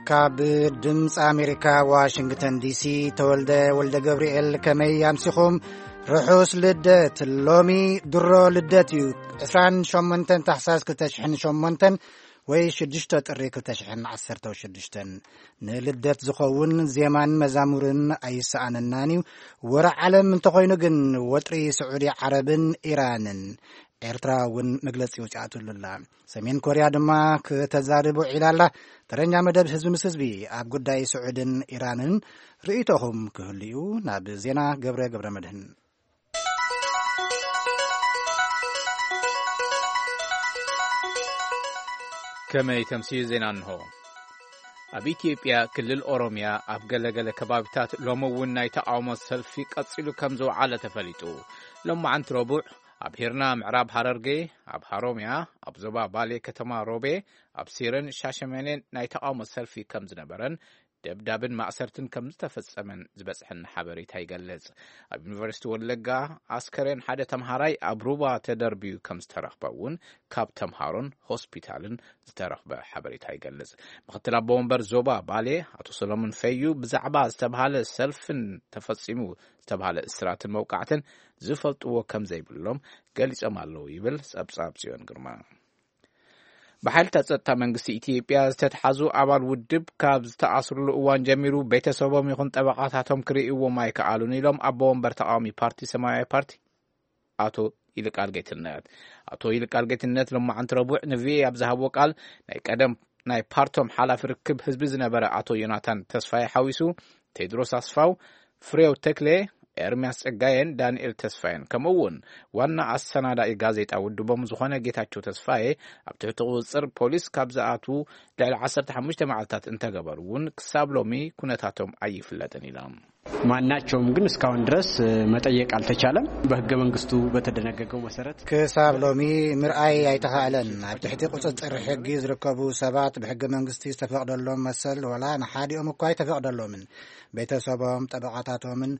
ካብ ድምፂ ኣሜሪካ ዋሽንግተን ዲሲ፣ ተወልደ ወልደ ገብርኤል፣ ከመይ ኣምሲኹም? ርሑስ ልደት። ሎሚ ድሮ ልደት እዩ። ዕስራን ሸሞንተን ታሕሳስ ክልተ ሽሕን ሸሞንተን ወይ ሽዱሽተ ጥሪ ክልተ ሽሕን ዓሰርተ ሽዱሽተን። ንልደት ዝኸውን ዜማን መዛሙርን ኣይሰኣነናን እዩ። ወረ ዓለም እንተኾይኑ ግን፣ ወጥሪ ስዑዲ ዓረብን ኢራንን። ኤርትራ እውን መግለጺ ውፅኣትሉ ኣላ። ሰሜን ኮርያ ድማ ክተዛርብ ውዒላ ኣላ። ተረኛ መደብ ህዝቢ ምስ ህዝቢ ኣብ ጉዳይ ስዑድን ኢራንን ርእይቶኹም ክህሉ እዩ። ናብ ዜና ገብረ ገብረ መድህን። ከመይ ተምስዩ ዜና እንሆ። ኣብ ኢትዮጵያ ክልል ኦሮምያ ኣብ ገለገለ ከባቢታት ሎሚ እውን ናይ ተቃውሞ ሰልፊ ቀጺሉ ከም ዝወዓለ ተፈሊጡ። ሎማዓንቲ ረቡዕ ኣብ ሂርና ምዕራብ ሃረርጌ፣ ኣብ ሃሮምያ፣ ኣብ ዞባ ባሌ ከተማ ሮቤ፣ ኣብ ሲርን ሻሸመኔን ናይ ተቃውሞ ሰልፊ ከም ዝነበረን ደብዳብን ማእሰርትን ከም ዝተፈጸመን ዝበጽሐን ሓበሬታ ይገልጽ። ኣብ ዩኒቨርሲቲ ወለጋ ኣስከሬን ሓደ ተምሃራይ ኣብ ሩባ ተደርብዩ ከም ዝተረኽበ እውን ካብ ተምሃሮን ሆስፒታልን ዝተረኽበ ሓበሬታ ይገልጽ። ምክትል ኣቦ ወንበር ዞባ ባሌ ኣቶ ሰሎሞን ፈዩ ብዛዕባ ዝተብሃለ ሰልፍን ተፈጺሙ ዝተብሃለ እስራትን መውቃዕትን ዝፈልጥዎ ከም ዘይብሎም ገሊጾም ኣለዉ ይብል ጸብጻብ ጽዮን ግርማ። ብሓይልታት ጸጥታ መንግስቲ ኢትዮጵያ ዝተትሓዙ ኣባል ውድብ ካብ ዝተኣስሩሉ እዋን ጀሚሩ ቤተሰቦም ይኹን ጠበቃታቶም ክርእይዎም ኣይከኣሉን ኢሎም ኣቦ ወንበር ተቃዋሚ ፓርቲ ሰማያዊ ፓርቲ ኣቶ ይልቃል ጌትነት። ኣቶ ይልቃል ጌትነት ሎማዓንቲ ረቡዕ ንቪኦኤ ኣብ ዝሃብዎ ቃል፣ ናይ ቀደም ናይ ፓርቶም ሓላፊ ርክብ ህዝቢ ዝነበረ ኣቶ ዮናታን ተስፋዬ ሓዊሱ ቴድሮስ ኣስፋው፣ ፍሬው ተክሌ፣ ኤርምያስ ጸጋየን ዳንኤል ተስፋየን፣ ከምኡ እውን ዋና ኣሰናዳኢ ጋዜጣ ውድቦም ዝኾነ ጌታቸው ተስፋዬ ኣብ ትሕቲ ቁጽጽር ፖሊስ ካብ ዝኣትዉ ልዕሊ ዓሰርተ ሓሙሽተ መዓልታት እንተገበሩ እውን ክሳብ ሎሚ ኩነታቶም ኣይፍለጥን ኢሎም። ማናቸውም ግን እስካሁን ድረስ መጠየቅ አልተቻለም። በህገ መንግስቱ በተደነገገው መሰረት ክሳብ ሎሚ ምርኣይ ኣይተኻእለን። ኣብ ትሕቲ ቁጽጽር ሕጊ ዝርከቡ ሰባት ብሕገ መንግስቲ ዝተፈቕደሎም መሰል ዋላ ንሓዲኦም እኳ ኣይተፈቕደሎምን። ቤተሰቦም፣ ጠበቓታቶምን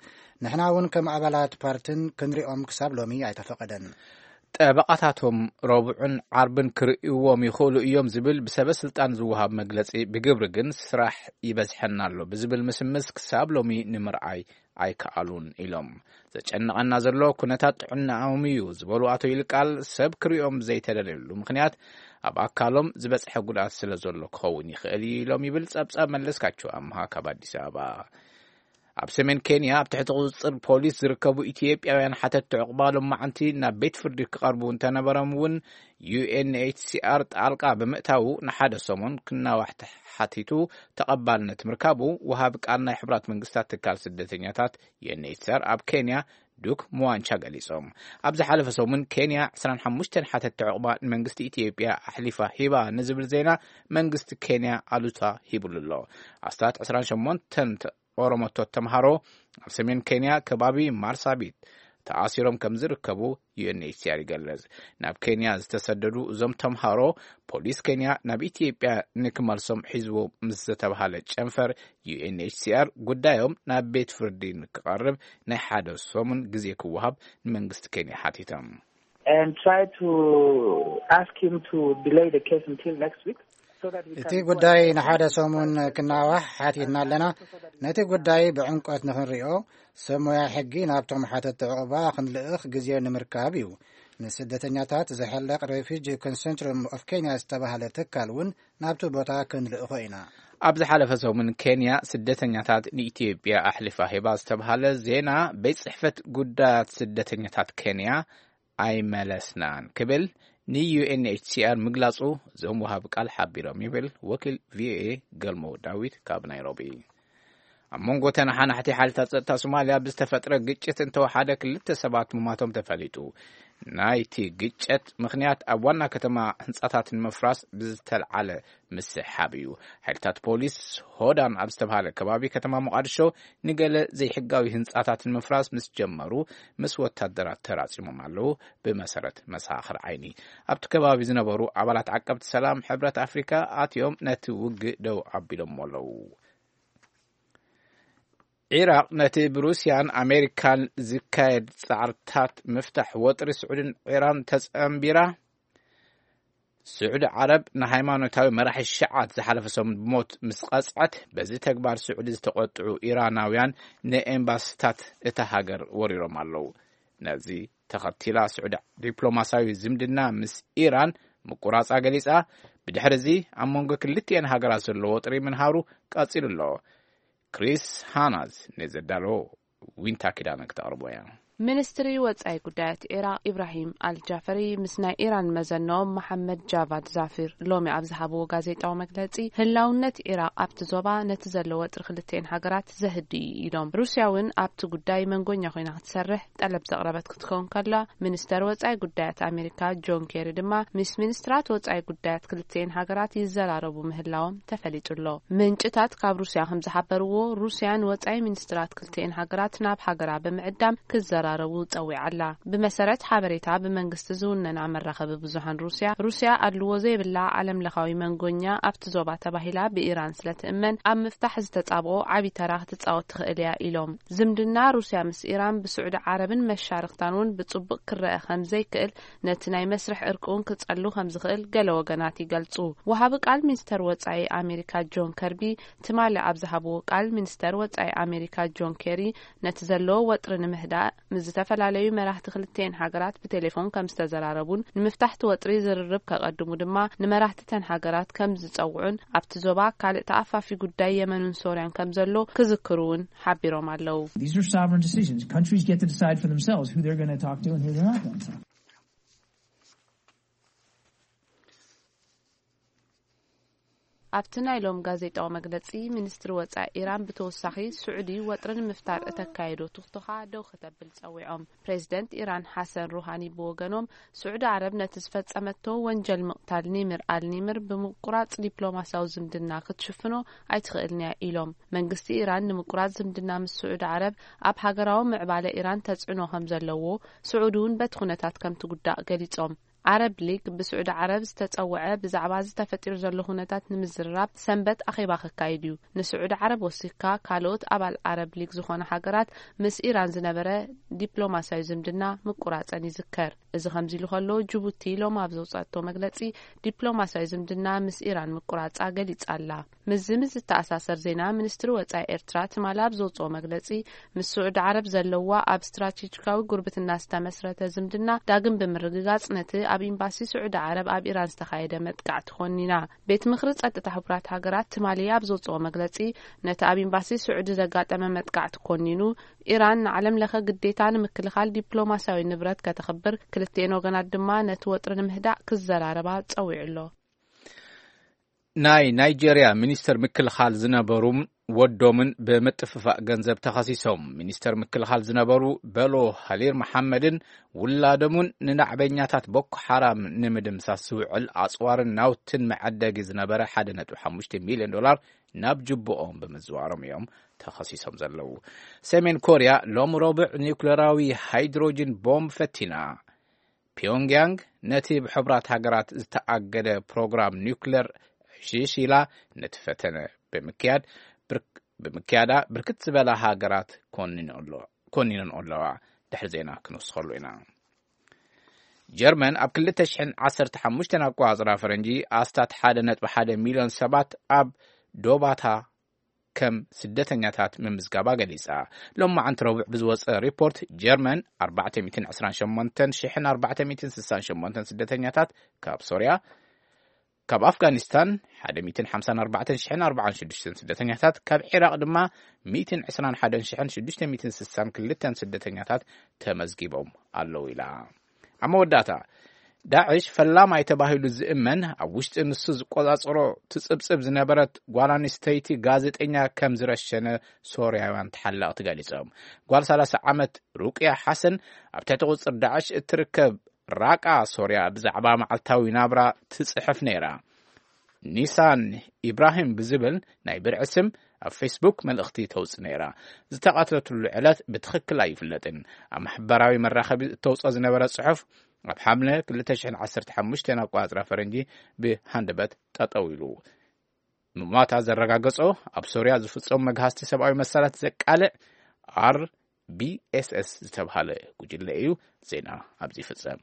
ንሕና እውን ከም ኣባላት ፓርትን ክንሪኦም ክሳብ ሎሚ ኣይተፈቐደን። ጠበቓታቶም ረቡዕን ዓርብን ክርእይዎም ይኽእሉ እዮም ዝብል ብሰበ ስልጣን ዝወሃብ መግለጺ፣ ብግብሪ ግን ስራሕ ይበዝሐና ኣሎ ብዝብል ምስምስ ክሳብ ሎሚ ንምርኣይ ኣይከኣሉን ኢሎም። ዘጨንቐና ዘሎ ኩነታት ጥዕናኦም እዩ ዝበሉ ኣቶ ይልቃል፣ ሰብ ክርእዮም ዘይተደለየሉ ምኽንያት ኣብ ኣካሎም ዝበጽሐ ጉድኣት ስለ ዘሎ ክኸውን ይኽእል እዩ ኢሎም ይብል ጸብጻብ መለስካቸው ኣምሃ ካብ ኣዲስ ኣበባ። ኣብ ሰሜን ኬንያ ኣብ ትሕቲ ቁጽጽር ፖሊስ ዝርከቡ ኢትዮጵያውያን ሓተትቲ ዕቑባ ሎማዓንቲ ናብ ቤት ፍርዲ ክቐርቡ እንተነበሮም እውን፣ ዩ ኤን ኤች ሲ ኣር ጣልቃ ብምእታዉ ንሓደ ሰሙን ክናዋሕ ተሓቲቱ ተቐባልነት ምርካቡ ወሃቢ ቃል ናይ ሕቡራት መንግስታት ትካል ስደተኛታት፣ ዩ ኤን ኤች ሲ ኣር፣ ኣብ ኬንያ ዱክ ሙዋንቻ ገሊጾም። ኣብ ዝሓለፈ ሰሙን ኬንያ ዕስራን ሓሙሽተን ሓተትቲ ዕቑባ ንመንግስቲ ኢትዮጵያ ኣሕሊፋ ሂባ ንዝብል ዜና መንግስቲ ኬንያ ኣሉታ ሂብሉ ኣሎ። ኣስታት ዕስራን ሸሞንተን ኦሮሞቶት ተምሃሮ ኣብ ሰሜን ኬንያ ከባቢ ማርሳቢት ተኣሲሮም ከም ዝርከቡ ዩ ኤን ኤች ሲ ኣር ይገልጽ። ናብ ኬንያ ዝተሰደዱ እዞም ተምሃሮ ፖሊስ ኬንያ ናብ ኢትዮጵያ ንክመልሶም ሒዝዎ ምስ ዝተባሃለ ጨንፈር፣ ዩ ኤን ኤች ሲ ኣር ጉዳዮም ናብ ቤት ፍርዲ ንክቐርብ ናይ ሓደ ሰሙን ግዜ ክወሃብ ንመንግስቲ ኬንያ ሓቲቶም። And try to ask him to delay the case until next week. እቲ ጉዳይ ንሓደ ሰሙን ክናዋሕ ሓቲትና ኣለና። ነቲ ጉዳይ ብዕምቆት ንኽንሪኦ ሰብ ሞያ ሕጊ ናብቶም ሓተትቲ ዕቑባ ክንልእኽ ግዜ ንምርካብ እዩ። ንስደተኛታት ዝሕለቕ ሬፊጂ ኮንሶርቲየም ኦፍ ኬንያ ዝተባህለ ትካል እውን ናብቲ ቦታ ክንልእኾ ኢና። ኣብ ዝሓለፈ ሰሙን ኬንያ ስደተኛታት ንኢትዮጵያ ኣሕሊፋ ሂባ ዝተባህለ ዜና፣ ቤት ጽሕፈት ጉዳያት ስደተኛታት ኬንያ ኣይመለስናን ክብል ንዩ ኤን ኤች ሲ ኣር ምግላጹ እዞም ወሃቢ ቃል ሓቢሮም ይብል ወኪል ቪ ኦ ኤ ገልሞ ዳዊት ካብ ናይሮቢ። ኣብ መንጎ ተነሓናሕቲ ሓይልታት ጸጥታ ሶማልያ ብዝተፈጥረ ግጭት እንተወሓደ ክልተ ሰባት ምማቶም ተፈሊጡ። ናይቲ ግጭት ምኽንያት ኣብ ዋና ከተማ ህንጻታት ንምፍራስ ብዝተልዓለ ምስሕሓብ እዩ። ሓይልታት ፖሊስ ሆዳን ኣብ ዝተባሃለ ከባቢ ከተማ ሞቓድሾ ንገለ ዘይሕጋዊ ህንጻታት ንምፍራስ ምስ ጀመሩ ምስ ወታደራት ተራጺሞም ኣለዉ። ብመሰረት መሰኻኽር ዓይኒ፣ ኣብቲ ከባቢ ዝነበሩ ኣባላት ዓቀብቲ ሰላም ሕብረት ኣፍሪካ ኣትዮም ነቲ ውግእ ደው ኣቢሎሞ ኣለዉ። ዒራቕ ነቲ ብሩስያን ኣሜሪካን ዝካየድ ጻዕርታት ምፍታሕ ወጥሪ ስዑድን ዒራን ተጸንቢራ፣ ስዑዲ ዓረብ ንሃይማኖታዊ መራሒ ሸዓት ዝሓለፈ ሰሙን ብሞት ምስ ቀጽዐት፣ በዚ ተግባር ስዑዲ ዝተቖጥዑ ኢራናውያን ንኤምባሲታት እታ ሃገር ወሪሮም ኣለዉ። ነዚ ተኸቲላ ስዑዲ ዲፕሎማሲያዊ ዝምድና ምስ ኢራን ምቁራጻ ገሊጻ። ብድሕሪ እዚ ኣብ መንጎ ክልቲኤን ሃገራት ዘሎ ወጥሪ ምንሃሩ ቀጺሉ ኣሎ። ክሪስ ሃናዝ ነዘዳሎ ዊንታ ኪዳነ ክተቕርቦ እያ። ሚኒስትሪ ወጻኢ ጉዳያት ኢራቕ ኢብራሂም ኣልጃፈሪ ምስ ናይ ኢራን መዘንኦም መሓመድ ጃቫድ ዛፊር ሎሚ ኣብ ዝሃብዎ ጋዜጣዊ መግለጺ፣ ህላውነት ኢራቕ ኣብቲ ዞባ ነቲ ዘሎ ወጥሪ ክልቲኤን ሃገራት ዘህድእ እዩ ኢሎም። ሩስያ እውን ኣብቲ ጉዳይ መንጎኛ ኮይና ክትሰርሕ ጠለብ ዘቕረበት ክትከውን ከላ፣ ሚኒስተር ወጻኢ ጉዳያት ኣሜሪካ ጆን ኬሪ ድማ ምስ ሚኒስትራት ወጻኢ ጉዳያት ክልቲኤን ሃገራት ይዘራረቡ ምህላዎም ተፈሊጡ ኣሎ። ምንጭታት ካብ ሩስያ ከም ዝሓበርዎ፣ ሩስያ ንወጻኢ ሚኒስትራት ክልቲኤን ሃገራት ናብ ሃገራ ብምዕዳም ክዘራረቡ ጸዊዓ ኣላ። ብመሰረት ሓበሬታ ብመንግስቲ ዝውነና መራኸቢ ብዙሃን ሩስያ፣ ሩስያ ኣድልዎ ዘይብላ ዓለም ለኻዊ መንጎኛ ኣብቲ ዞባ ተባሂላ ብኢራን ስለ ትእመን፣ ኣብ ምፍታሕ ዝተጻብኦ ዓቢ ተራ ክትጻወት ትኽእል እያ ኢሎም። ዝምድና ሩስያ ምስ ኢራን ብስዑዲ ዓረብን መሻርኽታን እውን ብጽቡቕ ክረአ ከም ዘይክእል፣ ነቲ ናይ መስርሕ ዕርቂ እውን ክጸሉ ከም ዝኽእል ገለ ወገናት ይገልጹ። ወሃቢ ቃል ሚኒስተር ወጻኢ ኣሜሪካ ጆን ከርቢ ትማሊ ኣብ ዝሃብዎ ቃል፣ ሚኒስተር ወጻኢ ኣሜሪካ ጆን ኬሪ ነቲ ዘሎ ወጥሪ ንምህዳእ ምስ ዝተፈላለዩ መራሕቲ ክልቲኤን ሃገራት ብቴሌፎን ከም ዝተዘራረቡን፣ ንምፍታሕቲ ወጥሪ ዝርርብ ከቐድሙ ድማ ንመራሕቲ ተን ሃገራት ከም ዝጸውዑን፣ ኣብቲ ዞባ ካልእ ተኣፋፊ ጉዳይ የመንን ሶርያን ከም ዘሎ ክዝክሩ እውን ሓቢሮም ኣለዉ። These are sovereign decisions. Countries get to decide for themselves who they're going to talk to and who they're not going to talk to. ኣብቲ ናይ ሎም ጋዜጣዊ መግለጺ፣ ሚኒስትሪ ወጻኢ ኢራን ብተወሳኺ፣ ስዑዲ ወጥሪ ንምፍታር እተካየዶ ትኽቶኻ ደው ከተብል ጸዊዖም። ፕሬዚደንት ኢራን ሓሰን ሩሃኒ ብወገኖም፣ ስዑዲ ዓረብ ነቲ ዝፈጸመቶ ወንጀል ምቕታል ኒምር ኣልኒምር ብምቁራጽ ዲፕሎማሲያዊ ዝምድና ክትሽፍኖ ኣይትኽእልን እያ ኢሎም። መንግስቲ ኢራን ንምቁራጽ ዝምድና ምስ ስዑዲ ዓረብ ኣብ ሃገራዊ ምዕባለ ኢራን ተጽዕኖ ከም ዘለዎ፣ ስዑዲ እውን በቲ ኩነታት ከም ትጉዳእ ገሊጾም። ዓረብ ሊግ ብስዑዲ ዓረብ ዝተጸውዐ ብዛዕባ እዚ ተፈጢሩ ዘሎ ኩነታት ንምዝርራብ ሰንበት ኣኼባ ከካይድ እዩ። ንስዑዲ ዓረብ ወሲኽካ ካልኦት ኣባል ዓረብ ሊግ ዝኾና ሃገራት ምስ ኢራን ዝነበረ ዲፕሎማሲያዊ ዝምድና ምቁራጸን ይዝከር። እዚ ከምዚ ኢሉ ከሎ፣ ጅቡቲ ሎም ኣብ ዘውጻቶ መግለጺ፣ ዲፕሎማሲያዊ ዝምድና ምስ ኢራን ምቁራጻ ገሊጻ ኣላ። ምስዚ ምስ ዝተኣሳሰር ዜና፣ ሚኒስትሪ ወጻኢ ኤርትራ ትማሊ ኣብ ዘውጽኦ መግለጺ፣ ምስ ስዑዲ ዓረብ ዘለዋ ኣብ ስትራቴጂካዊ ጉርብትና ዝተመስረተ ዝምድና ዳግም ብምርግጋጽ፣ ነቲ ኣብ ኤምባሲ ስዑዲ ዓረብ ኣብ ኢራን ዝተኻየደ መጥቃዕቲ ኮኒና። ቤት ምኽሪ ጸጥታ ሕቡራት ሃገራት ትማሊ ኣብ ዘውጽኦ መግለጺ፣ ነቲ ኣብ ኤምባሲ ስዑዲ ዘጋጠመ መጥቃዕቲ ኮኒኑ፣ ኢራን ንዓለም ለኸ ግዴታ ንምክልኻል ዲፕሎማሲያዊ ንብረት ከተኽብር፣ ክልቲኤን ወገናት ድማ ነቲ ወጥሪ ንምህዳእ ክዘራረባ ጸዊዑ ኣሎ። ናይ ናይጄርያ ሚኒስተር ምክልኻል ዝነበሩ ወዶምን ብምጥፍፋእ ገንዘብ ተኸሲሶም። ሚኒስተር ምክልኻል ዝነበሩ በሎ ሃሊር መሓመድን ውላዶምን ንናዕበኛታት ቦኮ ሓራም ንምድምሳስ ዝውዕል ኣጽዋርን ናውትን መዐደጊ ዝነበረ ሓደ ነጥቢ ሓሙሽተ ሚልዮን ዶላር ናብ ጅቡኦም ብምዝዋሮም እዮም ተኸሲሶም ዘለዉ። ሰሜን ኮርያ ሎም ረቡዕ ኒውክለራዊ ሃይድሮጅን ቦምብ ፈቲና። ፒዮንግያንግ ነቲ ብሕቡራት ሃገራት ዝተኣገደ ፕሮግራም ኒውክለር ሽሽ ኢላ ነቲ ፈተነ ብምክያድ፣ ብርክ-፣ ብምክያዳ ብርክት ዝበላ ሃገራት ኮኒኖ ኣሎ-፣ ኮኒነን ኣለዋ። ድሕሪ ዜና ክንወስኸሉ ኢና። ጀርመን ኣብ ክልተ ሽሕን ዓሰርተ ሓሙሽተን ኣቆጻጽራ ፈረንጂ ኣስታት ሓደ ነጥቢ ሓደ ሚልዮን ሰባት ኣብ ዶባታ ከም ስደተኛታት ምምዝጋባ ገሊጻ። ሎም መዓንቲ ረቡዕ ብዝወጸ ሪፖርት፣ ጀርመን ኣርባዕተ ሚእትን ዕስራን ሸሞንተን ሽሕን ኣርባዕተ ሚእትን ስሳን ሸሞንተን ስደተኛታት ካብ ሶርያ፣ ካብ ኣፍጋኒስታን ሓደ ሚእትን ሓምሳን ኣርባዕተን ሽሕን ኣርባዓን ሽዱሽተን ስደተኛታት፣ ካብ ዒራቕ ድማ ሚእትን ዕስራን ሓደን ሽሕን ሽዱሽተ ሚእትን ስሳን ክልተን ስደተኛታት ተመዝጊቦም ኣለዉ ኢላ። ኣብ መወዳእታ፣ ዳዕሽ ፈላማይ ተባሂሉ ዝእመን፣ ኣብ ውሽጢ ንሱ ዝቆጻጸሮ ትጽብጽብ ዝነበረት ጓል ኣንስተይቲ ጋዜጠኛ ከም ዝረሸነ ሶርያውያን ተሓለቕቲ ገሊጾም። ጓል ሰላሳ ዓመት ሩቅያ ሓሰን ኣብ ትሕቲ ቁጽር ዳዕሽ እትርከብ ራቃ ሶርያ ብዛዕባ መዓልታዊ ናብራ ትጽሕፍ ነይራ። ኒሳን ኢብራሂም ብዝብል ናይ ብርዒ ስም ኣብ ፌስቡክ መልእኽቲ ተውጽእ ነይራ። ዝተቐትለትሉ ዕለት ብትኽክል ኣይፍለጥን። ኣብ ማሕበራዊ መራኸቢ እተውጽኦ ዝነበረ ጽሑፍ፣ ኣብ ሓምለ ክልተ ሽሕን ዓሰርተ ሓሙሽተን ኣቆጻጽራ ፈረንጂ ብሃንደበት ጠጠው ኢሉ። ምሟታ ዘረጋገጾ፣ ኣብ ሶርያ ዝፍጸሙ መግሃስቲ ሰብኣዊ መሰላት ዘቃልዕ ኣር ቢ ኤስ ኤስ ዝተብሃለ ጉጅለ እዩ። ዜና ኣብዚ ይፍጸም።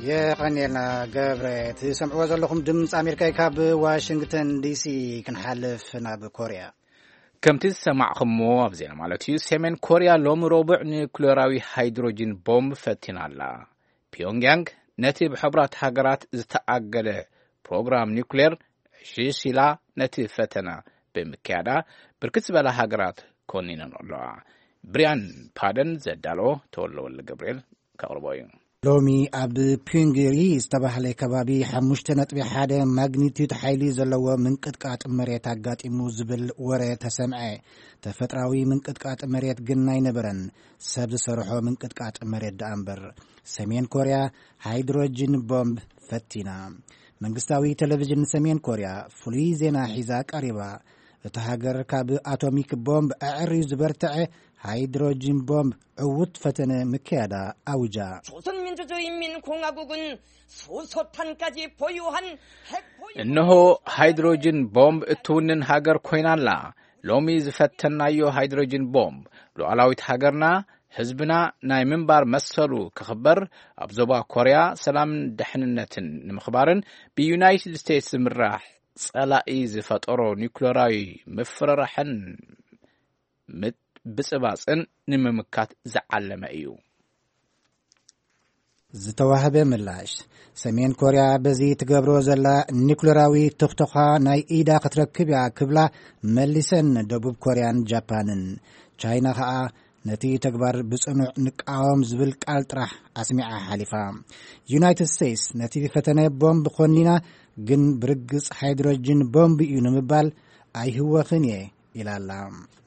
የቐንየልና ገብረ። ትሰምዕዎ ዘለኹም ድምፂ ኣሜሪካ እዩ። ካብ ዋሽንግተን ዲሲ ክንሓልፍ ናብ ኮርያ። ከምቲ ዝሰማዕኹምዎ ኣብ ዜና ማለት እዩ፣ ሰሜን ኮርያ ሎሚ ረቡዕ ኒኩሌራዊ ሃይድሮጂን ቦምብ ፈቲና ኣላ። ፒዮንግያንግ ነቲ ብሕቡራት ሃገራት ዝተኣገደ ፕሮግራም ኒኩሌር ዕሽሽ ኢላ ነቲ ፈተና ብምክያዳ፣ ብርክት ዝበላ ሃገራት ኮኒነን ኣለዋ። ብሪያን ፓደን ዘዳለዎ ተወልደ ወልደ ገብርኤል ከቕርቦ እዩ። ሎሚ ኣብ ፒንግሪ ዝተባህለ ከባቢ ሓሙሽተ ነጥቢ ሓደ ማግኒቱድ ሓይሊ ዘለዎ ምንቅጥቃጥ መሬት ኣጋጢሙ ዝብል ወረ ተሰምዐ። ተፈጥራዊ ምንቅጥቃጥ መሬት ግን ኣይነበረን፣ ሰብ ዝሰርሖ ምንቅጥቃጥ መሬት ደኣ እምበር። ሰሜን ኮርያ ሃይድሮጅን ቦምብ ፈቲና። መንግስታዊ ቴሌቪዥን ሰሜን ኮርያ ፍሉይ ዜና ሒዛ ቀሪባ። እታ ሃገር ካብ ኣቶሚክ ቦምብ ኣዕርዩ ዝበርትዐ ሃይድሮጅን ቦምብ ዕዉት ፈተነ ምክያዳ ኣውጃ። 조선민주주의인민공화국은 소소탄까지 보유한 핵 እነሆ ሃይድሮጅን ቦምብ እትውንን ሃገር ኮይና ኣላ። ሎሚ ዝፈተናዮ ሃይድሮጅን ቦምብ ሉዓላዊት ሃገርና፣ ህዝብና ናይ ምንባር መሰሉ ክኽበር፣ ኣብ ዞባ ኮርያ ሰላምን ድሕንነትን ንምኽባርን ብዩናይትድ ስቴትስ ዝምራሕ ጸላኢ ዝፈጠሮ ኒኩለራዊ ምፍርራሕን ምብጽባጽን ንምምካት ዝዓለመ እዩ። ዝተዋህበ ምላሽ። ሰሜን ኮርያ በዚ ትገብሮ ዘላ ኒኩለራዊ ትኽቶኻ ናይ ኢዳ ክትረክብ እያ ክብላ መሊሰን ደቡብ ኮርያን ጃፓንን። ቻይና ኸኣ ነቲ ተግባር ብጽኑዕ ንቃወም ዝብል ቃል ጥራሕ ኣስሚዓ ሓሊፋ። ዩናይትድ ስቴትስ ነቲ ፈተነ ቦምብ ኮኒና፣ ግን ብርግጽ ሃይድሮጅን ቦምብ እዩ ንምባል ኣይህወኽን እየ ኢላ ኣላ።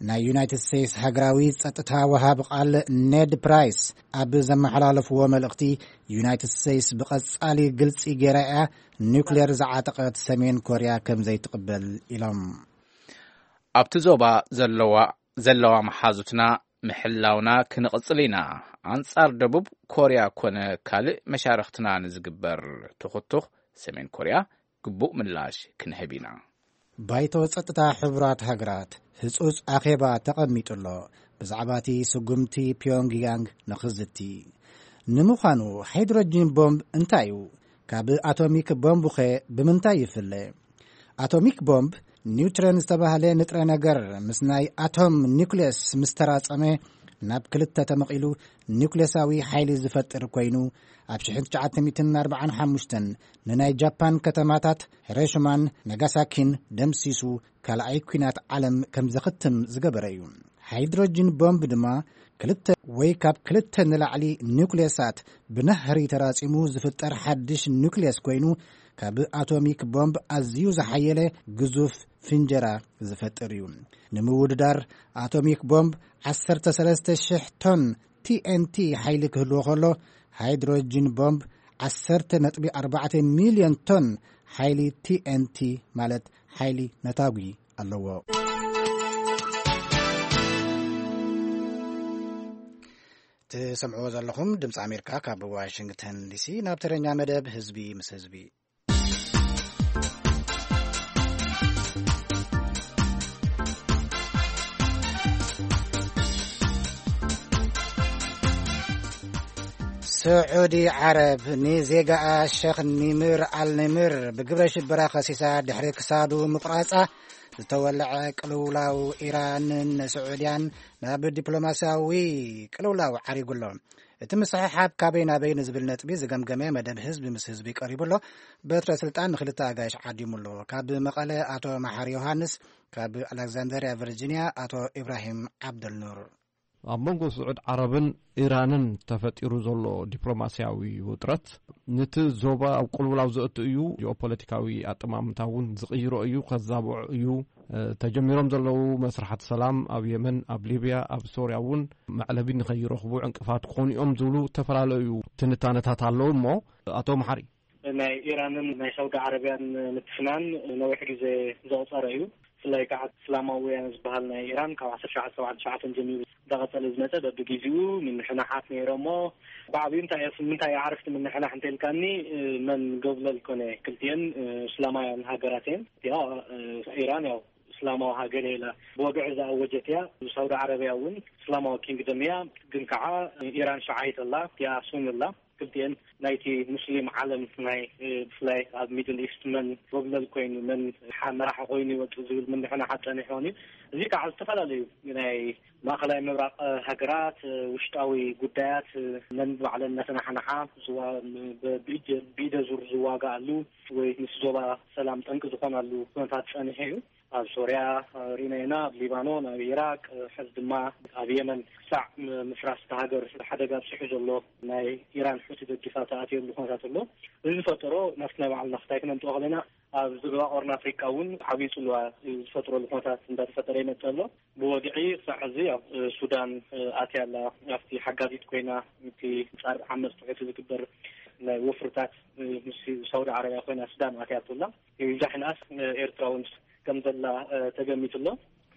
ናይ ዩናይትድ ስቴትስ ሃገራዊ ጸጥታ ወሃቢ ቃል ኔድ ፕራይስ ኣብ ዘመሓላለፍዎ መልእኽቲ፣ ዩናይትድ ስቴትስ ብቐጻሊ ግልጺ ገይራ እያ ኒውክሌር ዝዓጠቐት ሰሜን ኮርያ ከም ዘይትቕበል ኢሎም። ኣብቲ ዞባ ዘለዋ ዘለዋ መሓዙትና ምሕላውና ክንቕጽል ኢና። ኣንጻር ደቡብ ኮርያ ኮነ ካልእ መሻርኽትና ንዝግበር ትኹቱኽ ሰሜን ኮርያ ግቡእ ምላሽ ክንህብ ኢና። ባይቶ ጸጥታ ሕቡራት ሃገራት ህጹጽ ኣኼባ ተቐሚጡ ኣሎ፣ ብዛዕባ እቲ ስጉምቲ ፒዮንግያንግ ንኽዝቲ። ንምዃኑ ሃይድሮጂን ቦምብ እንታይ እዩ? ካብ ኣቶሚክ ቦምብኸ ብምንታይ ይፍለ? ኣቶሚክ ቦምብ ኒውትረን ዝተባህለ ንጥረ ነገር ምስ ናይ ኣቶም ኒውክልየስ ምስ ተራጸመ፣ ናብ ክልተ ተመቒሉ ኒውክልየሳዊ ሓይሊ ዝፈጥር ኮይኑ፣ ኣብ ሽሕን ትሽዓተ ሚእትን ኣርባዓን ሓሙሽተን ንናይ ጃፓን ከተማታት ሂሮሺማን ናጋሳኪን ደምሲሱ ካልኣይ ኲናት ዓለም ከም ዘኽትም ዝገበረ እዩ። ሃይድሮጅን ቦምብ ድማ ክልተ ወይ ካብ ክልተ ንላዕሊ ኒውክልየሳት ብናህሪ ተራጺሙ ዝፍጠር ሓድሽ ኒውክልየስ ኮይኑ፣ ካብ ኣቶሚክ ቦምብ ኣዝዩ ዝሓየለ ግዙፍ ፍንጀራ ዝፈጥር እዩ። ንምውድዳር፣ ኣቶሚክ ቦምብ ዓሰርተ ሰለስተ ሽሕ ቶን ቲኤንቲ ሓይሊ ክህልዎ ከሎ፣ ሃይድሮጅን ቦምብ ዓሰርተ ነጥቢ ኣርባዕተ ሚልዮን ቶን ሓይሊ ቲኤንቲ፣ ማለት ሓይሊ ነታጒ ኣለዎ። ትሰምዕዎ ዘለኹም ድምፂ ኣሜሪካ ካብ ዋሽንግተን ዲሲ። ናብ ተረኛ መደብ ህዝቢ ምስ ህዝቢ። ስዑዲ ዓረብ ንዜጋኣ ሸኽ ኒምር ኣልኒምር ብግብረ ሽበራ ከሲሳ ድሕሪ ክሳዱ ምቑራጻ ዝተወለዐ ቅልውላው ኢራንን ስዑድያን ናብ ዲፕሎማስያዊ ቅልውላው ዓሪጉ ኣሎ። እቲ ምስሕሓብ ካበይ ናበይ ንዝብል ነጥቢ ዝገምገመ መደብ ህዝቢ ምስ ህዝቢ ቀሪቡ ኣሎ። በትረ ስልጣን ንክልተ ኣጋይሽ ዓዲሙ ኣሎ። ካብ መቐለ ኣቶ መሓሪ ዮሃንስ፣ ካብ ኣሌክዛንደርያ ቨርጂንያ ኣቶ ኢብራሂም ዓብደልኑር። ኣብ መንጎ ስዑድ ዓረብን ኢራንን ተፈጢሩ ዘሎ ዲፕሎማስያዊ ውጥረት፣ ነቲ ዞባ ኣብ ቅልውላው ዘእቱ እዩ። ጂኦፖለቲካዊ ኣጠማምታ እውን ዝቕይሮ እዩ፣ ከዛብዖ እዩ። ተጀሚሮም ዘለዉ መስርሓት ሰላም ኣብ የመን፣ ኣብ ሊብያ፣ ኣብ ሶርያ እውን መዕለቢ ንኸይረኽቡ ዕንቅፋት ክኾኑ እዮም ዝብሉ ዝተፈላለዩ ትንታነታት ኣለዉ። እሞ ኣቶ መሓሪ፣ ናይ ኢራንን ናይ ሳውዲ ዓረብያን ምትፍናን ነዊሕ ግዜ ዘቑፀረ እዩ። ብፍላይ ከዓ እስላማውያን ዝበሃል ናይ ኢራን ካብ ዓሰርተ ትሽዓተ ሰብዓን ትሽዓተን ጀሚሩ እንዳቐፀለ ዝመፀ፣ በብግዜኡ ምንሕናሓት ነይሮሞ። ብዓብዩ እንታይ እየ፣ ምንታይ እየ ዓረፍቲ ምንሕናሕ እንተልካኒ፣ መን ገብለል ኮነ፣ ክልቲኤን እስላማውያን ሃገራት እየን። እቲኣ ኢራን ያው እስላማዊ ሃገር እየ ኢላ ብወግዒ ዝኣወጀት እያ። ሳውዲ ዓረብያ እውን እስላማዊ ኪንግደም እያ፣ ግን ከዓ ኢራን ሸዓይት ኣላ፣ እቲኣ ሱኒ ኣላ። ክልቲኤን ናይቲ ሙስሊም ዓለም ናይ ብፍላይ ኣብ ሚድል ኢስት መን ጎብለል ኮይኑ መን መራሒ ኮይኑ ይወፅእ ዝብል ምንሕና ሓፀኒሕዎን እዩ። እዚ ከዓ ዝተፈላለዩ ናይ ማእኸላይ ምብራቕ ሃገራት ውሽጣዊ ጉዳያት ነን ባዕለን እናተናሓናሓ ብኢደ ዙር ዝዋጋኣሉ ወይ ምስ ዞባ ሰላም ጠንቂ ዝኾናሉ ኩነታት ፀኒሑ እዩ። ኣብ ሶርያ ርኢና ኢና፣ ኣብ ሊባኖን፣ ኣብ ኢራቅ፣ ሕዚ ድማ ኣብ የመን ክሳዕ ምፍራስ እታ ሃገር ሓደጋ ኣብፅሑ ዘሎ ናይ ኢራን ሑቲ ደጊፋ ተኣትየሉ ኩነታት ኣሎ። እዚ ዝፈጠሮ ናብቲ ናይ ባዕልና ክታይ ክነምፅኦ ከለና ኣብ ዞባ ቀርኒ ኣፍሪቃ እውን ዓብዪ ፅልዋ ዝፈጥረሉ ኩነታት እንዳተፈጠረ ይመፅእ ኣሎ። ብወግዒ ክሳዕ ሕዚ ኣብ ሱዳን ኣትያ ኣላ። ኣብቲ ሓጋዚት ኮይና እቲ ፃር ዓመፅ ትሑት ዝግበር ናይ ወፍርታት ምስ ሳውዲ ዓረብያ ኮይና ሱዳን ኣትያ ኣላ። ይብዛሕ ንኣስ ኤርትራ እውን ከም ዘላ ተገሚቱ ኣሎ።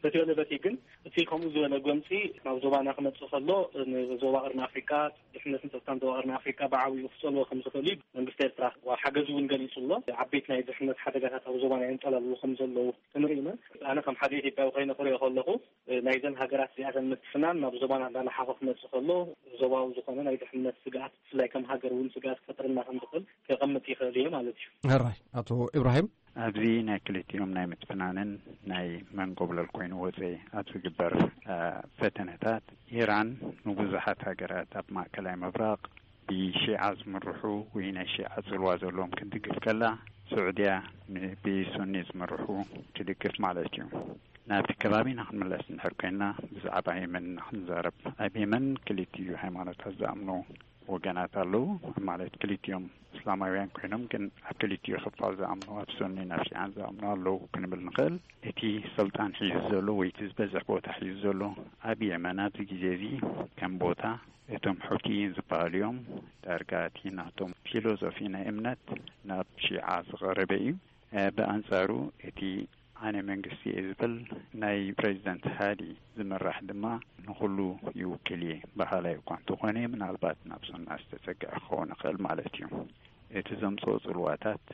በቲ በለ በቲ ግን እቲ ከምኡ ዝበለ ጎምፂ ናብ ዞባና ክመፅእ ከሎ ንዞባ ቀርኒ ኣፍሪቃ ድሕነትን ፀጥታን ዞባ ቀርኒ ኣፍሪቃ ብዓብዩ ክፀልዎ ከም ዝኽእል እዩ መንግስቲ ኤርትራ ሓገዙ እውን ገሊፁ ኣሎ። ዓበይቲ ናይ ድሕነት ሓደጋታት ኣብ ዞባና የንፀላልዉ ከም ዘለዉ ንርኢ ኢና። ኣነ ከም ሓደ ኢትዮጵያዊ ኮይነ ክሪኦ ከለኹ ናይዘን ሃገራት እዚኣተን ምትፍናን ናብ ዞባና እንዳለሓኸ ክመፅእ ከሎ ዞባዊ ዝኾነ ናይ ድሕነት ስግኣት ብፍላይ ከም ሃገር እውን ስግኣት ክፈጥረልና ከም ዝኽእል ከቐምጥ ይኽእል እየ ማለት እዩ። ሕራይ ኣቶ ኢብራሂም። ኣብዚ ናይ ክልቲኦም ናይ ምትፍናንን ናይ መንጎብለል ኮይኑ ወፀ ኣብ ዝግበር ፈተነታት ኢራን ንብዙሓት ሃገራት ኣብ ማእከላይ ምብራቕ ብሺዓ ዝምርሑ ወይ ናይ ሺዓ ጽልዋ ዘለዎም ክትድግፍ ከላ፣ ስዑድያ ብሱኒ ዝምርሑ ትድግፍ ማለት እዩ። ናብቲ ከባቢና ክንምለስ እንድሕር ኮይና፣ ብዛዕባ የመን ኢና ክንዛረብ። ኣብ የመን ክልቲኡ ሃይማኖታት ዝኣምኑ ወገናት ኣለዉ፣ ማለት ክልቲኦም እስላማውያን ኮይኖም ግን ኣብ ክልቲኡ ክፋል ዝኣምኑ፣ ኣብ ሱኒን ኣብ ሺዓን ዝኣምኑ ኣለዉ ክንብል ንኽእል። እቲ ስልጣን ሒዙ ዘሎ ወይ እቲ ዝበዝሕ ቦታ ሒዙ ዘሎ ኣብ የመን ኣብዚ ግዜ እዚ ከም ቦታ እቶም ሑቲይን ዝበሃሉ እዮም። ዳርጋ እቲ ናቶም ፊሎዞፊ ናይ እምነት ናብ ሺዓ ዝቐረበ እዩ። ብኣንጻሩ እቲ ኣነ መንግስቲ እየ ዝብል ናይ ፕሬዚደንት ሃዲ ዝምራሕ ድማ ንኹሉ ይውክል እየ በሃላይ እኳ እንተኾነ ምናልባት ናብ ሱና ዝተጸግዐ ክኸውን ይኽእል ማለት እዩ። እቲ ዘምጽኦ ጽልዋታት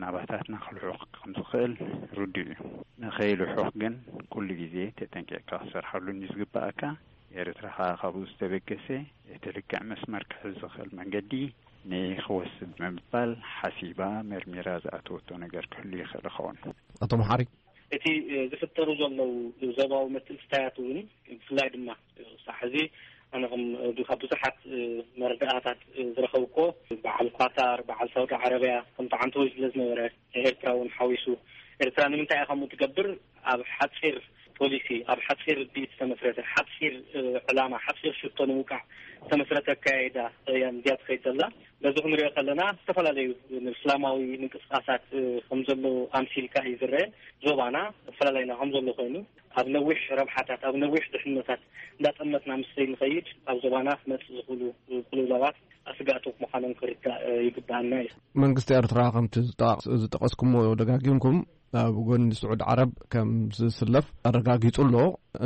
ናባታትና ክልሑኽ ከም ዝኽእል ርዱእ እዩ። ንኸይልሑኽ ግን ኩሉ ግዜ ተጠንቂቕካ ክትሰርሓሉ እዩ ዝግባኣካ። ኤርትራ ከኣ ካብኡ ዝተበገሰ እቲ ልክዕ መስመር ክሕዝ ዝኽእል መንገዲ ንኽወስድ ብምባል ሓሲባ መርሚራ ዝኣተወቶ ነገር ክህሉ ይኽእል ይኸውን። ኣቶ መሓሪ። እቲ ዝፍጠሩ ዘለዉ ዞባዊ ምትእስሳያት እውን ብፍላይ ድማ ክሳዕ ሕዚ ኣነ ከም ካብ ብዙሓት መረዳእታት ዝረኸብኮ በዓል ኳታር፣ በዓል ሳውዲ ዓረብያ ከም ተዓንተወይ ስለ ዝነበረ ኤርትራ እውን ሓዊሱ። ኤርትራ ንምንታይ እያ ከምኡ ትገብር? ኣብ ሓፂር ፖሊሲ፣ ኣብ ሓፂር ርድኢት ዝተመስረተ፣ ሓፂር ዕላማ፣ ሓፂር ሽቶ ንምውቃዕ ዝተመስረተ ኣካያይዳ እያ እዚኣ ትኸይድ ዘላ። በዚ ክንሪኦ ከለና ዝተፈላለዩ እስላማዊ ምንቅስቃሳት ከም ዘሎ ኣምሲልካ እዩ ዝረአ። ዞባና ኣፈላላይና ከም ዘሎ ኮይኑ ኣብ ነዊሕ ረብሓታት፣ ኣብ ነዊሕ ድሕነታት እንዳጠመትና ምስ ዘይንኸይድ ኣብ ዞባና ክመፅእ ዝኽእሉ ቅልውላዋት ኣስጋእቲ ምዃኖም ክርዳእ ይግባኣና እዩ። መንግስቲ ኤርትራ ከምቲ ዝጠቃቅስ-፣ ዝጠቀስኩሞ ደጋጊምኩም ኣብ ጎኒ ስዑድ ዓረብ ከም ዝስለፍ ኣረጋጊጹ ኣሎ።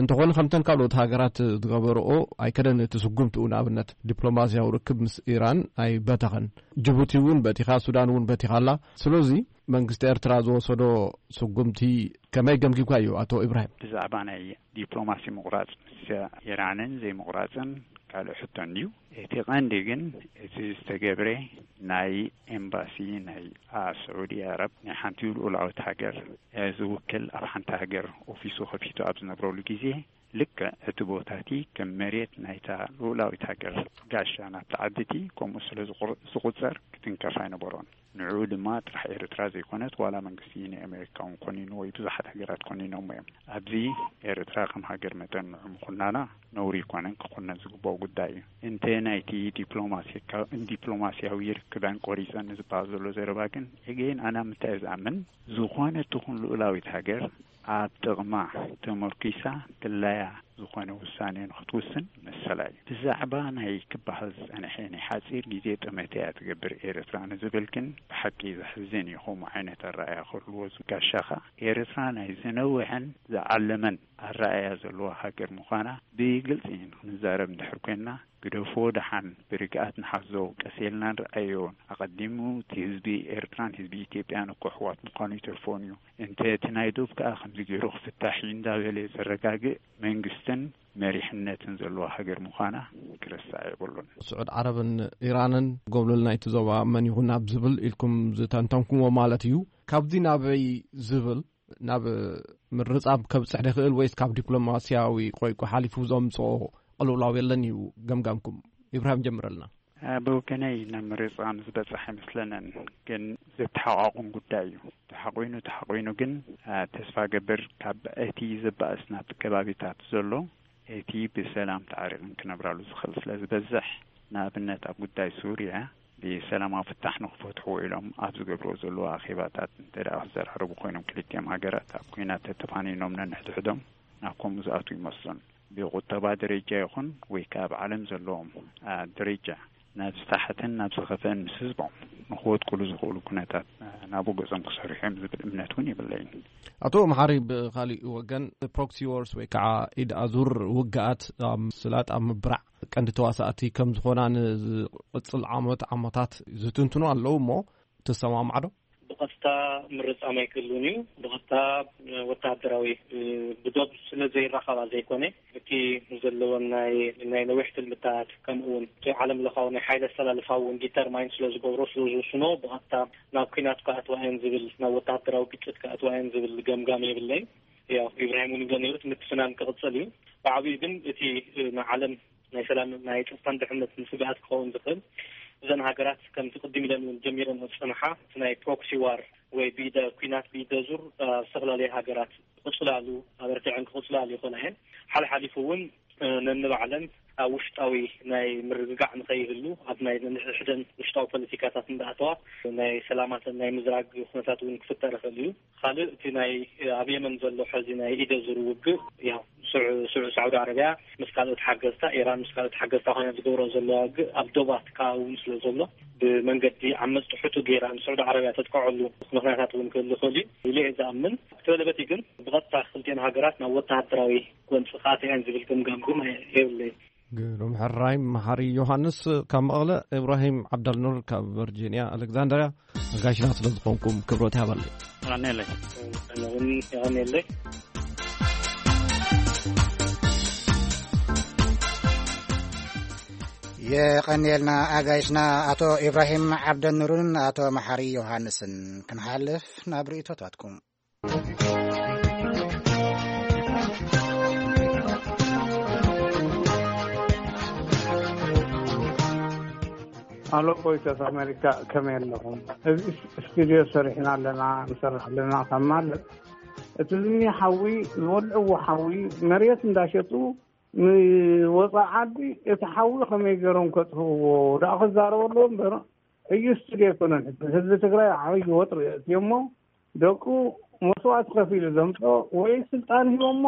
እንተኾነ ከምተን ካልኦት ሃገራት ዝገበርኦ ኣይከደን እቲ ስጉምትኡ። ንኣብነት ዲፕሎማስያዊ ርክብ ምስ ኢራን ኣይበተኸን። ጅቡቲ እውን በቲኻ፣ ሱዳን እውን በቲኻ ኣላ። ስለዚ መንግስቲ ኤርትራ ዝወሰዶ ስጉምቲ ከመይ ገምጊምካዮ ኣቶ ኢብራሂም? ብዛዕባ ናይ ዲፕሎማሲ ምቑራጽ ምስ ኢራንን ዘይምቑራጽን ካልእ ሕቶ እንድዩ። እቲ ቀንዲ ግን እቲ ዝተገብረ ናይ ኤምባሲ ናይ ኣ-፣ ስዑዲ ኣረብ ናይ ሓንቲ ልኡላዊት ሃገር ዝውክል ኣብ ሓንቲ ሃገር ኦፊሱ ከፊቱ ኣብ ዝነብረሉ ግዜ ልክዕ እቲ ቦታ እቲ ከም መሬት ናይታ ልኡላዊት ሃገር ጋሻ ናብቲ ዓዲ እቲ ከምኡ ስለ ዝቑር-፣ ዝቑጸር ክትንከፍ ኣይነበሮን። ንዕኡ ድማ ጥራሕ ኤርትራ ዘይኮነት ዋላ መንግስቲ ናይ ኣሜሪካ እውን ኮኒኑ ወይ ብዙሓት ሃገራት ኮኒኖሞ እዮም። ኣብዚ ኤርትራ ከም ሃገር መጠን ንዑ ምኹናና ነውሪ ኣይኮነን፣ ክኹነን ዝግባኦ ጉዳይ እዩ። እንተ ናይቲ ዲፕሎማሲካ-፣ ዲፕሎማሲያዊ ርክበን ቆሪጸን ዝበሃል ዘሎ ዘረባ ግን ኤገይን ኣነ ኣብ ምንታይ እየ ዝኣምን? ዝኾነት ትኹን ልኡላዊት ሃገር ኣብ ጥቕማ ተመርኪሳ ድላያ ዝኾነ ውሳኔ ንኽትውስን መሰላ እዩ። ብዛዕባ ናይ ክበሃል ዝጸንሐ ናይ ሓጺር ግዜ ጠመተ እያ ትገብር ኤርትራ ንዝብል ግን ብሓቂ ዘሕዝን እዩ። ከምኡ ዓይነት ኣረኣእያ ክህልዎ ዝጋሻኻ ኤርትራ ናይ ዝነውሐን ዝዓለመን ኣረኣእያ ዘለዋ ሃገር ምዃና ብግልጺ ክንዛረብ እንድሕር ኮይንና ግደፎ ደሓን ብርግኣት ንሓዞ፣ ቀስ ኢልና ንርኣዮ። ኣቐዲሙ እቲ ህዝቢ ኤርትራን ህዝቢ ኢትዮጵያን እኮ ኣሕዋት ምዃኑ ይተርፎን እዩ። እንተ እቲ ናይ ዶብ ከኣ ከምዚ ገይሩ ክፍታሕ እዩ እንዳበለ ዘረጋግእ መንግስቲ መሪሕነትን ዘለዋ ሃገር ምዃና ክርሳዕ የብሉን። ስዑድ ዓረብን ኢራንን ጎብለል ናይቲ ዞባ መን ይኹን ኣብ ዝብል ኢልኩም ዝተንተንኩምዎ ማለት እዩ። ካብዚ ናበይ ዝብል ናብ ምርጻብ ከብጽሕ ድኽእል ወይስ ካብ ዲፕሎማስያዊ ቆይቆ ሓሊፉ ዘምጽኦ ቅልውላው የለን እዩ ገምጋምኩም? ኢብራሂም ጀምረልና። ብወገነይ ናብ ምርጻም ዝበጽሕ ኣይመስለንን፣ ግን ዘተሓቋቑም ጉዳይ እዩ። ተሓቑኑ ተሓቑኑ ግን ተስፋ ገብር ካብ እቲ ዝበኣስ ናብቲ ከባቢታት ዘሎ እቲ ብሰላም ተዓሪቕን ክነብራሉ ዝኽእል ስለ ዝበዝሕ፣ ንኣብነት ኣብ ጉዳይ ሱርያ ብሰላማዊ ፍታሕ ንኽፈትሕዎ ኢሎም ኣብ ዝገብርዎ ዘለዉ ኣኼባታት እንተ ደኣ ክዘራረቡ ኮይኖም፣ ክልቲኦም ሃገራት ኣብ ኲናት ተተፋኒኖም ነንሕድሕዶም ናብ ከምኡ ዝኣትዉ ይመስሉን። ብቁጠባ ደረጃ ይኹን ወይ ከኣ ኣብ ዓለም ዘለዎም ደረጃ ናብ ዝተሓተን ናብ ዝኸፍአን ምስ ህዝቦም ንኽወድቅሉ ዝኽእሉ ኩነታት ናብኡ ገጾም ክሰርሑ እዮም ዝብል እምነት እውን የብለይን። ኣቶ መሓሪ፣ ብኻሊእ ወገን ፕሮክሲ ዎርስ ወይ ከዓ ኢድ ኣዙር ውግኣት ኣብ ምስላጥ ኣብ ምብራዕ ቀንዲ ተዋሳእቲ ከም ዝኾና ንዝቕጽል ዓመት ዓመታት ዝትንትኑ ኣለዉ እሞ ትሰማማዕ ዶ? ብቐጥታ ምርጻም ኣይክህሉን እዩ። ብቐጥታ ወተሃደራዊ ብዶብ ስለ ዘይራኸባ ዘይኮነ፣ እቲ ዘለወን ናይ ናይ ነዊሕ ትልምታት፣ ከምኡ እውን እቲ ዓለም ለኻዊ ናይ ሓይሊ ኣሰላልፋ እውን ዲተርማይን ስለ ዝገብሮ፣ ስለ ዝውስኖ፣ ብቐጥታ ናብ ኲናት ክኣትዋ እየን ዝብል፣ ናብ ወተሃደራዊ ግጭት ክኣትዋ እየን ዝብል ገምጋም የብለይን። ያው ኢብራሂም እውን ይብሎ ነይሩ፣ እቲ ምትፍናን ክቕጽል እዩ። ብዓብዩ ግን እቲ ንዓለም ናይ ሰላም ናይ ጸጥታን ድሕነትን ስግኣት ክኸውን ዝኽእል፣ እዘን ሃገራት ከምቲ ቅድም ኢለን እውን ጀሚረን ዝጸንሓ እቲ ናይ ፕሮክሲ ዋር ወይ ብኢደ ኲናት ብኢደ ዙር ኣብ ዝተፈላለየ ሃገራት ክቕጽላሉ ኣበርቲዐን ክቕጽላሉ ይኽእላ እየን። ሓልሓሊፉ እውን ነንባዕለን ኣብ ውሽጣዊ ናይ ምርግጋዕ ንኸይህሉ ኣብ ናይ ነንሕድሕደን ውሽጣዊ ፖለቲካታት እንዳኣተዋ ናይ ሰላማተን ናይ ምዝራግ ኩነታት እውን ክፍጠር ይኽእል እዩ። ካልእ እቲ ናይ ኣብ የመን ዘሎ ሕዚ ናይ ኢደ ዙር ውግእ፣ ያው ስዑ- ስዑ- ሳዑዲ ዓረብያ ምስ ካልኦት ሓገዝታ፣ ኢራን ምስ ካልኦት ሓገዝታ ኮይና ዝገብሮ ዘለዋ ውግእ ኣብ ዶባት ከባቢ እውን ስለ ዘሎ ብመንገዲ ዓመጽቲ ሕቱ ገይራ ንሳዑዲ ዓረብያ ተጥቅዐሉ ምኽንያታት እውን ክህሉ ይኽእል እዩ ኢለ እየ ዝኣምን። እቲ በለበቲ ግን ብቐጥታ ክልቲኤን ሃገራት ናብ ወተሃደራዊ ጎንፂ ክኣትያ እየን ዝብል ገምጋም ግን የብለይን። ግሩም ሕራይ መሓሪ ዮሃንስ ካብ መቐለ። ኢብራሂም ዓብዳልኑር ካብ ቨርጂንያ ኣሌክዛንድርያ፣ ኣጋይሽና ስለ ዝኾንኩም ክብሮት ይሃበለይ። የቐንየለይ። ኣነ እውን የቐንየለይ። የቐንየልና ኣጋይሽና ኣቶ ኢብራሂም ዓብደኑርን ኣቶ መሓሪ ዮሃንስን። ክንሓልፍ ናብ ርእይቶታትኩም። ኣሎ ቮይስ ኦፍ ኣሜሪካ፣ ከመይ ኣለኹም? እዚ ስቱድዮ ሰሪሕና ኣለና፣ ንሰርሕ ኣለና ካብ ማለት፣ እቲ ዝኒ ሓዊ፣ ዝወልዕዎ ሓዊ መሬት እንዳሸጡ ንወፃኢ ዓዲ እቲ ሓዊ ከመይ ገይሮም ከጥፍእዎ ደኣ ክዛረቡ ኣለዎ እምበር፣ እዩ ስቱድዮ ኣይኮነን። ህዝቢ ትግራይ ዓብዪ ወጥሪ የእትዮ እሞ ደቁ መስዋእቲ ከፊሉ ዘምፅኦ ወይ ስልጣን ሂቦሞ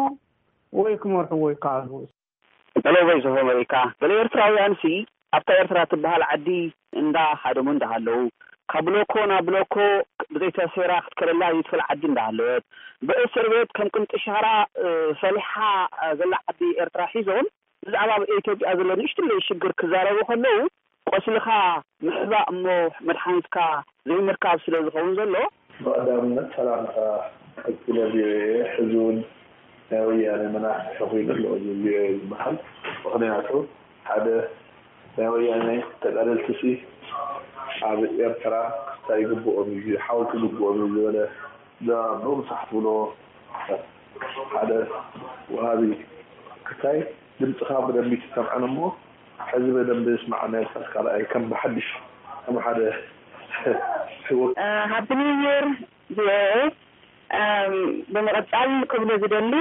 ወይ ክመርሕዎ ይከኣሉ። ሄሎ ቮይስ ኦፍ ኣሜሪካ፣ ገለ ኤርትራውያንሲ ኣብታ ኤርትራ ትበሃል ዓዲ እንዳ ሃደሙ እንዳሃለዉ፣ ካብ ብሎኮ ናብ ብሎኮ ብዘይተሰይራ ክትከደላ ዘይትኽእል ዓዲ እንዳሃለወት፣ ብእስር ቤት ከም ቅንጢ ሻራ፣ እ፣ ፈሊሓ፣ እ፣ ዘላ ዓዲ ኤርትራ ሒዞም፣ ብዛዕባ ኣብ ኢትዮጵያ ዘሎ ንእሽትለይ ሽግር ክዛረቡ ከለዉ፣ ቆስልኻ ምሕባእ እሞ መድሓኒትካ ዘይምርካብ ስለ ዝኸውን ዘሎ። ብቐዳምነት ሰላምታ ቀጺለ ቪኦኤ። ሕዚ እውን ናይ ወያነ መናፍሒ ኮይኑ ኣሎ እዚ ቪኦኤ ዝበሃል። ምኽንያቱ ሓደ ናይ ወያነ ተጋደልትሲ ኣብ ኤርትራ ክስታይ ይግብኦም እዩ፣ ሓወልቲ ይግብኦም እዩ ዝበለ ዘረባ ብዙሕ ትብሎ ሓደ ወሃቢ ክስታይ ድምፅኻ ብደንቢ ትሰምዐን እሞ ሕዚ በደንብ ስማዕ ናይ ርሳስ ካልኣይ ከም ብሓድሽ ከም ሓደ ሕወ- ሃፒ ኒው ይር ቪኦኤ። ብምቕጻል ክብሎ ዝደሊ፣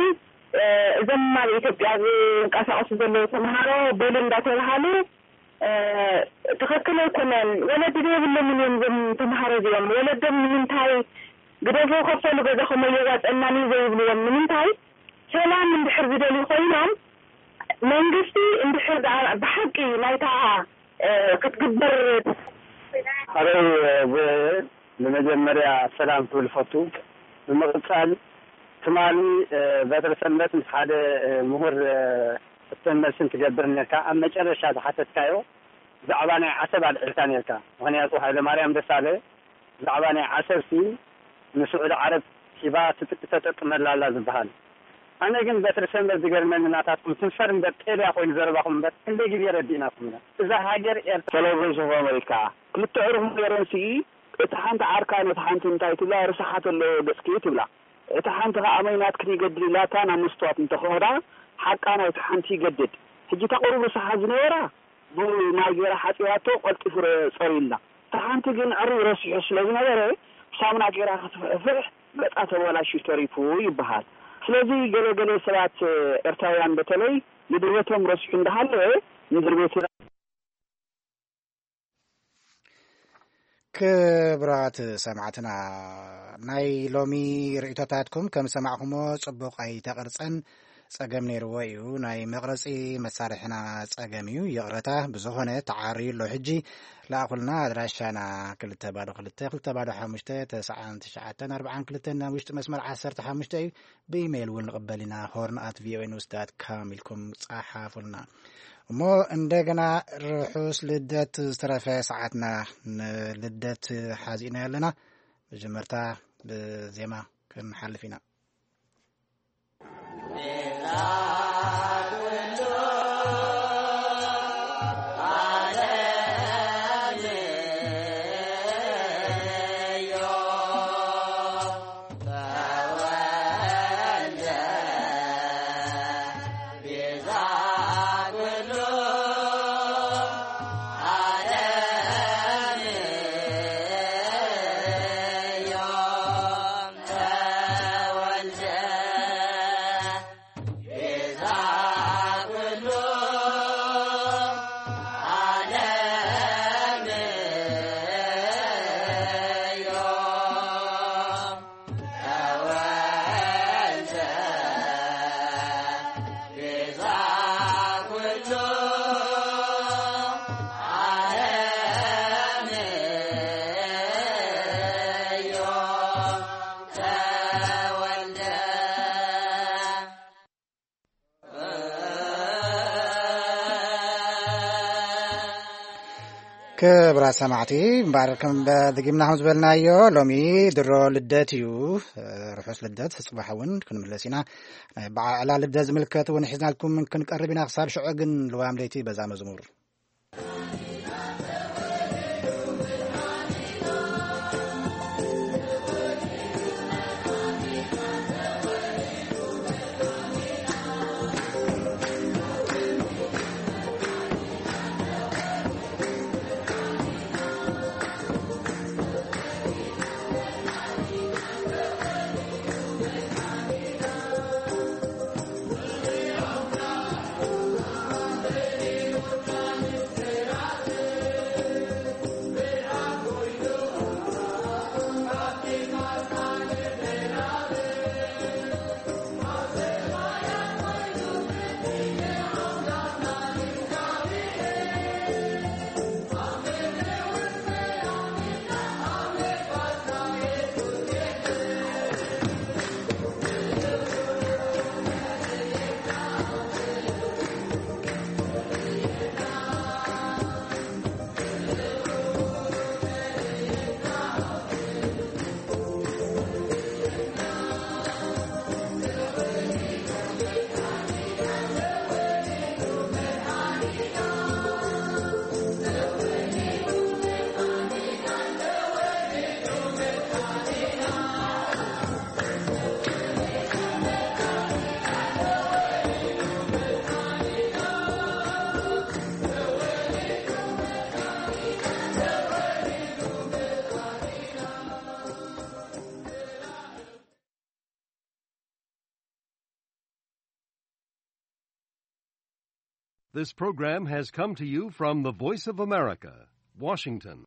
እዞም ኣብ ኢትዮጵያ ዝንቀሳቐሱ ዘለዉ ተምሃሮ በሉ እንዳተባሃሉ፣ ትኽክል ኣይኮነን። ወለዲ ዘይብሎምን እዮም እዞም ተምሃሮ እዚኦም። ወለዶም ንምንታይ ግደፉ፣ ከፈሉ ገዛኹም ኣየዋፀናን እዩ ዘይብልዎም? ንምንታይ? ሰላም እንድሕር ዝደልዩ ኮይኖም፣ መንግስቲ እንድሕር ደኣ ብሓቂ ናይታ፣ እ፣ ክትግበር። ኣበይ፣ እ፣ ብ-፣ ብመጀመርያ ሰላም ክብል ፈቱ። ብምቕጻል ትማሊ፣ እ፣ በትረ ሰንበት ምስ ሓደ፣ እ፣ ምሁር፣ እ፣ ሕቶን መልስን ትገብር ነርካ። ኣብ መጨረሻ ዝሓተትካዮ ብዛዕባ ናይ ዓሰብ ኣልዒልካ ነርካ። ምኽንያቱ ሃይለማርያም ደሳለ ብዛዕባ ናይ ዓሰብሲ ንስዑዲ ዓረብ ሂባ ትጥቅ-፣ ተጠቅመላ ኣላ ዝበሃል። ኣነ ግን በትሪ ሰንበት ዝገርመኒ ናታትኩም ትንፈር እምበር ጤልያ ኮይኑ ዘረባኹም እምበር ክንደይ ግዜ ረዲእናኩም ኢና እዛ ሃገር ኤርትራ። ሄሎ ቮይስ ኦፍ ኣሜሪካ። ክልተ ዕሩኽ ኔረን ስኢ፣ እቲ ሓንቲ ዓርካ ነቲ ሓንቲ እንታይ ትብላ፣ ርሳሓት ኣለዎ ገጽኪ ትብላ። እቲ ሓንቲ ከኣ ኣመይ ናትክን ይገድል ኢላታ ናብ መስትዋት እንተኸዳ ሓቃ ናይቲ ሓንቲ ይገድድ። ሕጂ እታ ቁሩብ ርሳሓት ዝነበራ ብማይ ገይራ ሓጺባቶ ቀልጢፉ ረ- ጸርዩልና። እታ ሓንቲ ግን ዕሩብ ረሲሑ ስለ ዝነበረ ብሳሙና ገይራ ክትፍሕፍሕ ገጻ ተበላሽዩ ተሪፉ ይበሃል። ስለዚ ገለ ገለ ሰባት ኤርትራውያን በተለይ ንድርበቶም ረሲሑ እንዳሃለወ ንድርቤትና ክብራት ሰማዕትና ናይ ሎሚ ርእቶታትኩም ከም ሰማዕኹሞ ጽቡቕ ኣይተቐርጸን ጸገም ነይርዎ እዩ። ናይ መቕረጺ መሳርሕና ጸገም እዩ። ይቕረታ። ብዝኾነ ተዓርዩ ኣሎ። ሕጂ ለኣኹልና። ኣድራሻና ክልተ ባዶ ክልተ ክልተ ባዶ ሓሙሽተ ተስዓን ትሽዓተን ኣርብዓን ክልተን ናብ ውሽጢ መስመር ዓሰርተ ሓሙሽተ እዩ። ብኢሜይል እውን ንቕበል ኢና። ሆርን ኣት ቪኦኤ ኒውስ ዳት ካም ኢልኩም ጸሓፉልና። እሞ እንደገና ርሑስ ልደት። ዝተረፈ ሰዓትና ንልደት ሓዚእና ኣለና። መጀመርታ ብዜማ ክንሓልፍ ኢና። ክብራት ሰማዕቲ እምበኣር ከም ደጊምና ከም ዝበልናዮ ሎሚ ድሮ ልደት እዩ። ርሑስ ልደት። ጽባሕ እውን ክንምለስ ኢና። ናይ በዓላ ልደት ዝምልከት እውን ሒዝናልኩም ክንቀርብ ኢና። ክሳብ ሽዑ ግን ልዋም ለይቲ በዛ መዝሙር። This program has come to you from the Voice of America, Washington.